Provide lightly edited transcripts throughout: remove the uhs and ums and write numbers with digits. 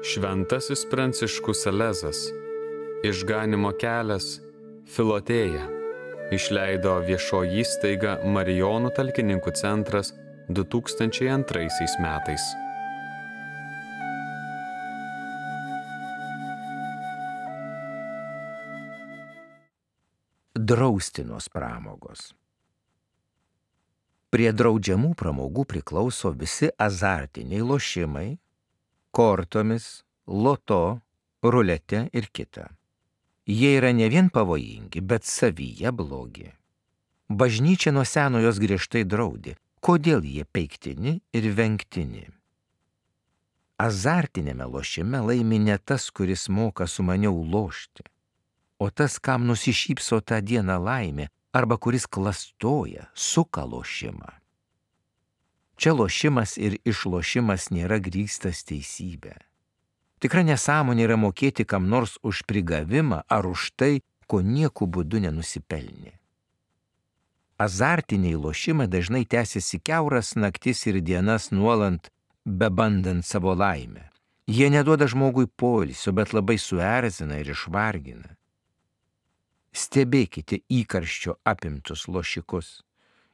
Šventasis Pranciškus Salezas, Išganymo kelias, Filotėja, išleido viešoji įstaiga Marijonų talkininkų centras 2002 metais. Draustinos pramogos. Prie draudžiamų pramogų priklauso visi azartiniai lošimai, kortomis, loto, rulete ir kita. Jie yra ne vien pavojingi, bet savyje blogi. Bažnyčia nuo seno jos griežtai draudė, kodėl jie peiktini ir vengtini. Azartinėme lošime laimi ne tas, kuris moka sumaniau lošti, o tas, kam nusišypso tą dieną laimė, arba kuris klastoja, suka lošimą. Čia lošimas ir išlošimas nėra grįstas teisybė. Tikra nesąmonė yra mokėti kam nors už prigavimą ar už tai, ko nieku būdu nenusipelnė. Azartiniai lošimai dažnai tęsiasi kiauras naktis ir dienas nuolant, bebandant savo laimę. Jie neduoda žmogui poilsio, bet labai suerzina ir išvargina. Stebėkite įkarščio apimtus lošikus.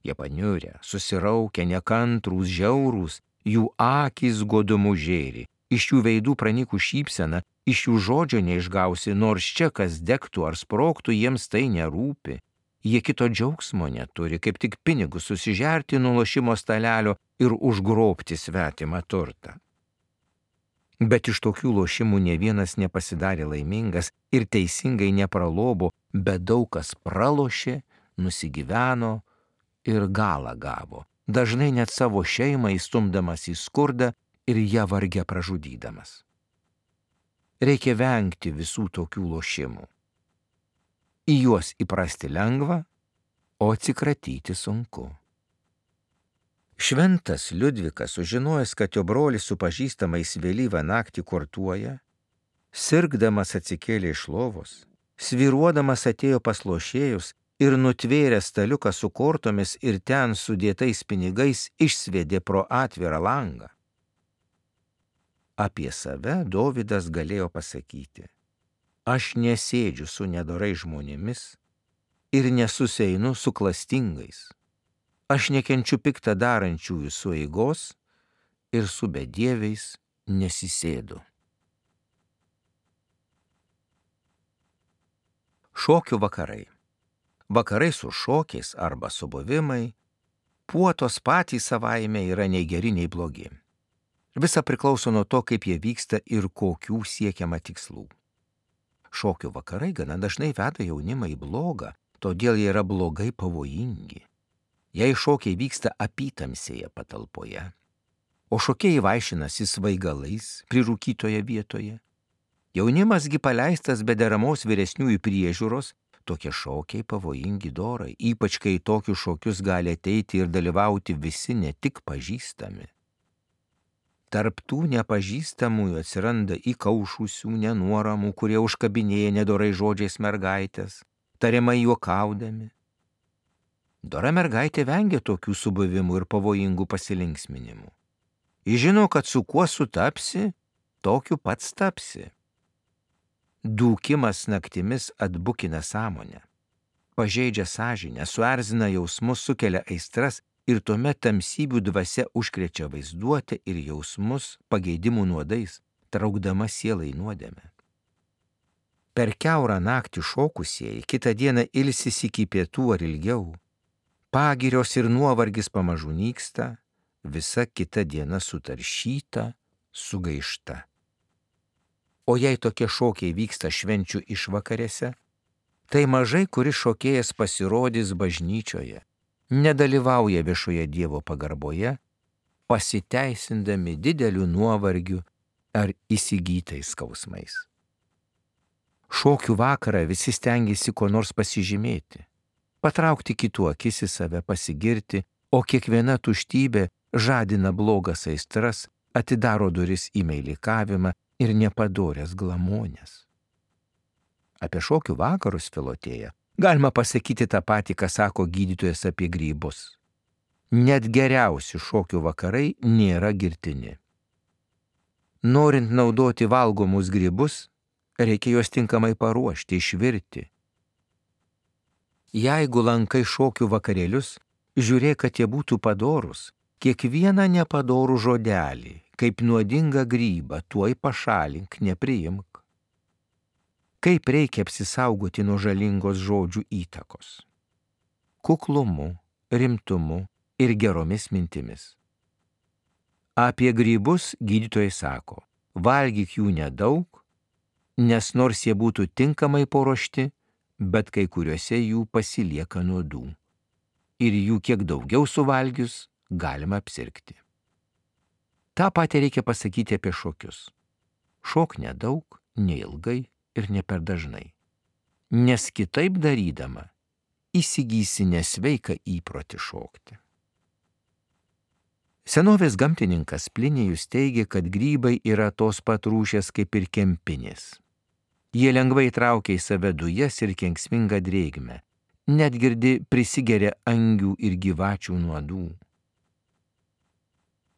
Jie paniurę, susiraukę, nekantrūs, žiaurūs, jų akys godumu žėri, iš jų veidų pranykų šypsena, iš jų žodžio neišgausi, nors čia kas degtų ar sprogtų, jiems tai nerūpi. Jie kito džiaugsmo neturi, kaip tik pinigus susižerti nuo lošimo stalelio ir užgrobti svetimą turtą. Bet iš tokių lošimų ne vienas nepasidarė laimingas ir teisingai nepralobo, bet daug kas pralošė, nusigyveno ir galą gavo, dažnai net savo šeimą įstumdamas į skurdą ir ją varge pražudydamas. Reikia vengti visų tokių lošimų. Į juos įprasti lengva, o atsikratyti sunku. Šventas Liudvikas, sužinojęs, kad jo brolis su pažįstamais vėlyvą naktį kortuoja, sirgdamas atsikėlė iš lovos, svyruodamas atėjo pas lošėjus ir nutvėręs staliuką su kortomis ir ten sudėtais pinigais išsviedė pro atvirą langą. Apie save Dovydas galėjo pasakyti: aš nesėdžiu su nedorais žmonėmis ir nesusieinu su klastingais. Aš nekenčiu piktą darančiųjų sueigos ir su bedieviais nesisėdu. Šokių vakarai. Vakarai su šokiais arba subuvimai, puotos patys savaime yra nei geri, nei blogi. Visa priklauso nuo to, kaip jie vyksta ir kokių siekiama tikslų. Šokių vakarai gana dažnai veda jaunimą į blogą, todėl jie yra blogai pavojingi. Jei šokiai vyksta apytamsėje patalpoje, o šokėjai vaišinasi svaigalais prirūkytoje vietoje, jaunimasgi paleistas be deramos vyresniųjų priežiūros, tokie šokiai pavojingi dorai, ypač kai tokius šokius gali ateiti ir dalyvauti visi ne tik pažįstami. Tarp tų nepažįstamųjų atsiranda įkaušusių nenuoramų, kurie užkabinėja nedorai žodžiais mergaitės, tariamai juokaudami. Dora mergaitė vengia tokių subuvimų ir pavojingų pasilinksminimų. Ji žino, kad su kuo sutapsi, tokiu pats tapsi. Dūkimas naktimis atbukina sąmonę, pažeidžia sąžinę, suerzina jausmus, sukelia aistras ir tuomet tamsybių dvasia užkrečia vaizduotę ir jausmus pageidimų nuodais, traukdama sielą į nuodėmę. Per kiaurą naktį šokusieji kitą dieną ilsisi iki pietų ar ilgiau, pagirios ir nuovargis pamažu nyksta, visa kita diena sutaršyta, sugaišta. O jei tokie šokiai vyksta švenčių išvakarėse, tai mažai kuris šokėjas pasirodys bažnyčioje, nedalyvauja viešoje Dievo pagarboje, pasiteisindami dideliu nuovargiu ar įsigytais skausmais. Šokių vakarą visi stengiasi ko nors pasižymėti, patraukti kitų akis į save, pasigirti, o kiekviena tuštybė žadina blogas aistras, atidaro duris į meilikavimą ir nepadorės glamonės. Apie šokių vakarus Filotėja galima pasakyti tą patį, ką sako gydytojas apie grybus. Net geriausi šokių vakarai nėra girtini. Norint naudoti valgomus grybus, reikia juos tinkamai paruošti, išvirti. Jeigu lankai šokių vakarėlius, žiūrėk, kad jie būtų padorūs. Kiekvieną nepadorų žodelį, kaip nuodingą grybą, tuoj pašalink, nepriimk. Kaip reikia apsisaugoti nuo žalingos žodžių įtakos? Kuklumu, rimtumu ir geromis mintimis. Apie grybus gydytojai sako, valgyk jų nedaug, nes nors jie būtų tinkamai paruošti, bet kai kuriuose jų pasilieka nuodų. Ir jų kiek daugiau suvalgius galima apsirgti. Ta patį reikia pasakyti apie šokius. Šok nedaug, neilgai ir ne per dažnai. Nes kitaip darydama įsigysi nesveiką įprotį šokti. Senovės gamtininkas Plinijus teigia, kad grybai yra tos pat rūšies kaip ir kempinės. Jie lengvai traukia į save dujas ir kenksmingą drėgmę, net girdi prisigeria angių ir gyvačių nuodų.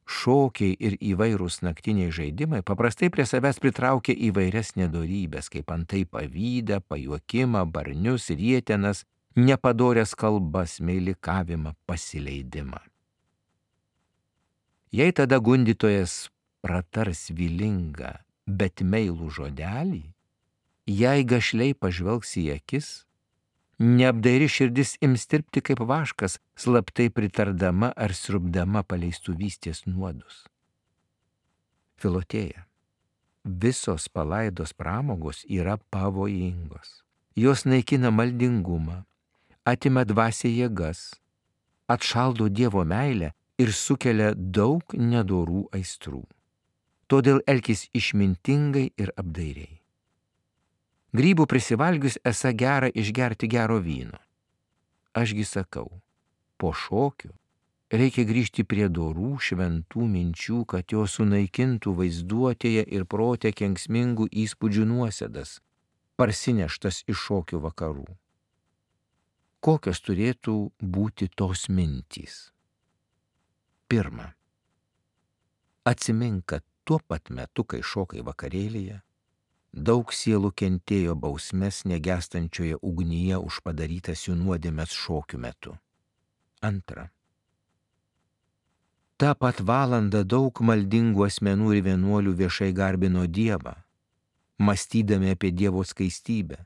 Šokiai ir įvairūs naktiniai žaidimai paprastai prie savęs pritraukia įvairias nedorybės, kaip antai pavydą, pajuokimą, barnius, rietenas, nepadorias kalbas, meilikavimą, pasileidimą. Jei tada gundytojas pratars vilingą, bet meilų žodelį, jei gašliai pažvelgs į akis, neapdairi širdis ims tirpti kaip vaškas, slaptai pritardama ar srubdama paleistuvystės nuodus. Filotėja, visos palaidos pramogos yra pavojingos. Jos naikina maldingumą, atima dvasią jėgas, atšaldo Dievo meilę ir sukelia daug nedorų aistrų. Todėl elkis išmintingai ir apdairiai. Grybų prisivalgius esą gera išgerti gero vyno. Ašgi sakau, po šokių reikia grįžti prie dorų šventų minčių, kad jos sunaikintų vaizduotėje ir prote kenksmingų įspūdžių nuosėdas, parsineštas iš šokių vakarų. Kokios turėtų būti tos mintys? Pirma, atsimink, kad tuo pat metu, kai šokai vakarėlyje, daug sielų kentėjo bausmes negestančioje ugnyje už padarytas jų nuodėmes šokių metu. Antra, tą pat valandą daug maldingų asmenų ir vienuolių viešai garbino Dievą, mąstydami apie Dievo skaistybę,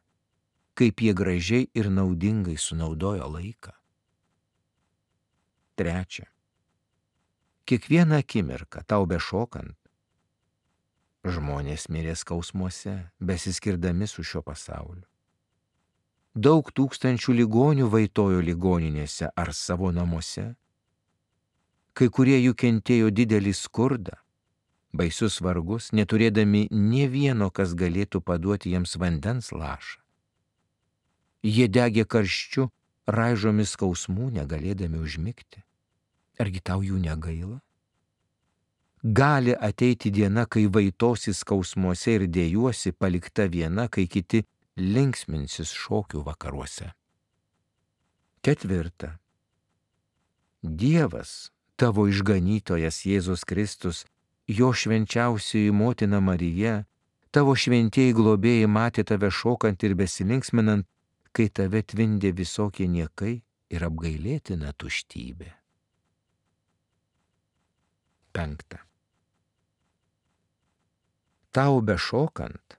kaip jie gražiai ir naudingai sunaudojo laiką. Trečia, kiekvieną akimirką tau bešokant, žmonės mirė skausmuose, besiskirdami su šio pasauliu. Daug tūkstančių ligonių vaitojo ligoninėse ar savo namuose. Kai kurie jų kentėjo didelį skurdą, baisius vargus, neturėdami nė vieno, kas galėtų paduoti jiems vandens lašą. Jie degė karščiu, raižomis skausmų, negalėdami užmigti. Argi tau jų negaila? Gali ateiti diena, kai vaitosi skausmuose ir dėjuosi, palikta viena, kai kiti linksminsis šokių vakaruose. Ketvirta. Dievas, tavo išganytojas Jėzus Kristus, jo švenčiausioji motina Marija, tavo šventieji globėjai matė tave šokant ir besilinksminant, kai tave tvindė visokie niekai ir apgailėtina tuštybė. Penkta. Tau bešokant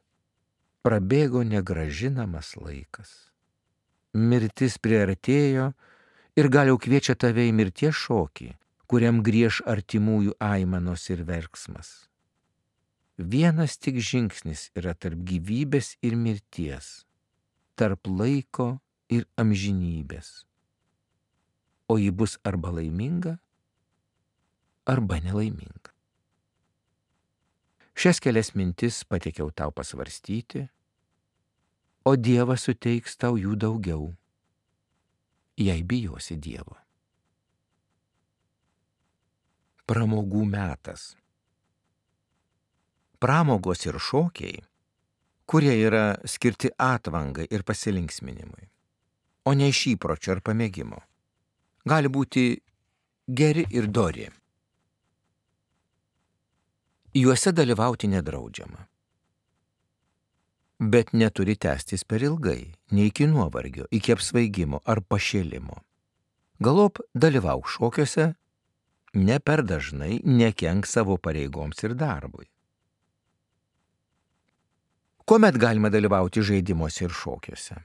prabėgo negrąžinamas laikas. Mirtis priartėjo ir gal jau kviečia tave į mirties šokį, kuriam grieš artimųjų aimanos ir verksmas. Vienas tik žingsnis yra tarp gyvybės ir mirties, tarp laiko ir amžinybės. O ji bus arba laiminga, arba nelaiminga. Šias kelias mintis pateikiau tau pasvarstyti, o Dievas suteiks tau jų daugiau, jei bijosi Dievo. Pramogų metas. Pramogos ir šokiai, kurie yra skirti atvangai ir pasilinksminimui, o ne iš įpročio ar pamėgimo, gali būti geri ir dori. Juose dalyvauti nedraudžiama. Bet neturi tęstis per ilgai, nei iki nuovargio, iki apsvaigimo ar pašėlimo. Galop dalyvauk šokiuose, ne per dažnai nekenk savo pareigoms ir darbui. Kuomet galima dalyvauti žaidimuose ir šokiuose?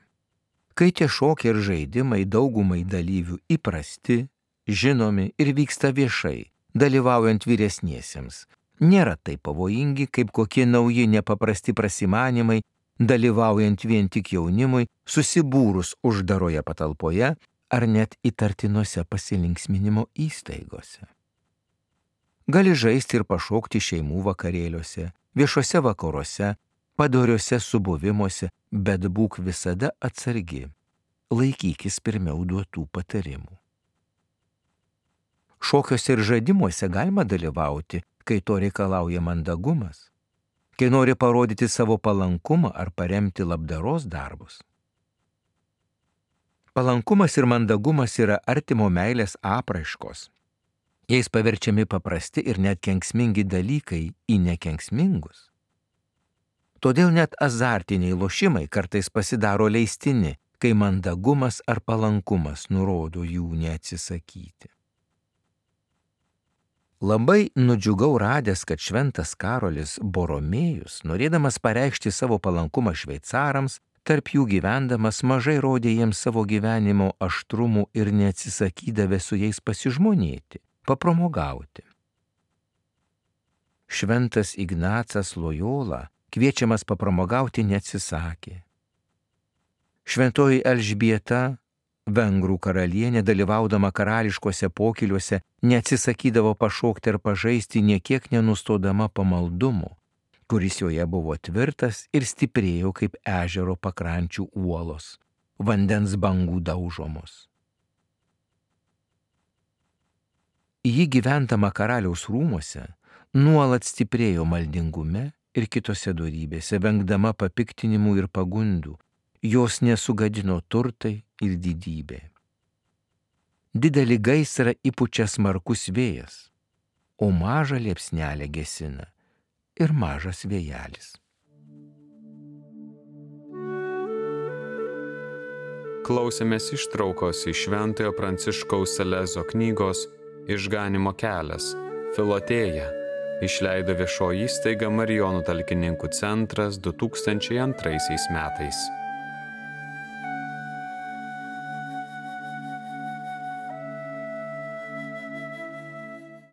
Kai tie šokiai ir žaidimai daugumai dalyvių įprasti, žinomi ir vyksta viešai, dalyvaujant vyresniesiems, nėra taip pavojingi, kaip kokie nauji nepaprasti prasimanimai, dalyvaujant vien tik jaunimui, susibūrus uždaroje patalpoje ar net įtartinose pasilinksminimo įstaigose. Gali žaisti ir pašokti šeimų vakarėliuose, viešuose vakaruose, padoriuose subuvimuose, bet būk visada atsargi, laikykis pirmiau duotų patarimų. Šokiuose ir žaidimuose galima dalyvauti, kai to reikalauja mandagumas, kai nori parodyti savo palankumą ar paremti labdaros darbus. Palankumas ir mandagumas yra artimo meilės apraiškos. Jais paverčiami paprasti ir net kenksmingi dalykai į nekenksmingus. Todėl net azartiniai lošimai kartais pasidaro leistini, kai mandagumas ar palankumas nurodo jų neatsisakyti. Labai nudžiugau radęs, kad šventas Karolis Boromėjus, norėdamas pareikšti savo palankumą šveicarams, tarp jų gyvendamas mažai rodė jiems savo gyvenimo aštrumų ir neatsisakydavė su jais pasižmonėti, papramogauti. Šventas Ignacas Lojola kviečiamas papramogauti neatsisakė. Šventoji Elžbieta, Vengrų karalienė, dalyvaudama karališkuose pokyliuose, neatsisakydavo pašokti ar pažaisti, niekiek nenustodama pamaldumu, kuris joje buvo tvirtas ir stiprėjo kaip ežero pakrančių uolos, vandens bangų daužomos. Ji gyvendama karaliaus rūmuose nuolat stiprėjo maldingume ir kitose dorybėse, vengdama papiktinimų ir pagundų, jos nesugadino turtai ir didybė. Didelį gaisrą įpučia smarkus vėjas, o mažą liepsnelę gesina ir mažas vėjelis. Klausėmės ištraukos iš Šventojo Pranciškaus Salezo knygos Išganymo kelias, Filotėja. Išleido viešoji įstaiga Marijonų talkininkų centras 2002 metais.